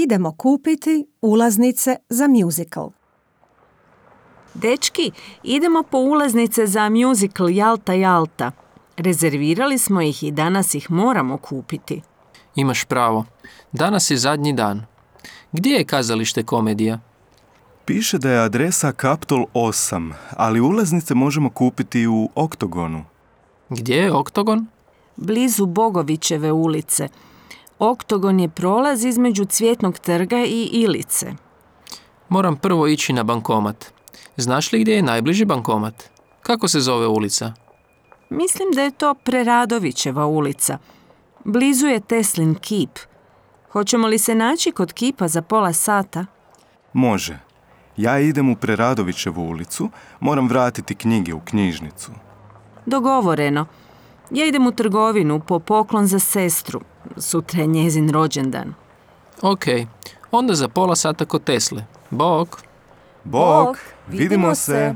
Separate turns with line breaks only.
idemo kupiti ulaznice za musical.
Dečki, idemo po ulaznice za musical Jalta Jalta. Rezervirali smo ih i danas ih moramo kupiti.
Imaš pravo. Danas je zadnji dan. Gdje je kazalište Komedija?
Piše da je adresa Kaptol 8, ali ulaznice možemo kupiti u Oktogonu.
Gdje je Oktogon?
Blizu Bogovićeve ulice. Oktogon je prolaz između Cvjetnog trga i Ilice.
Moram prvo ići na bankomat. Znaš li gdje je najbliži bankomat? Kako se zove ulica?
Mislim da je to Preradovićeva ulica. Blizu je Teslin kip. Hoćemo li se naći kod kipa za pola sata?
Može. Ja idem u Preradovićevu ulicu, moram vratiti knjige u knjižnicu.
Dogovoreno. Ja idem u trgovinu po poklon za sestru. Sutra je njezin rođendan.
Ok, onda za pola sata kod Tesle. Bok!
Bok, vidimo se!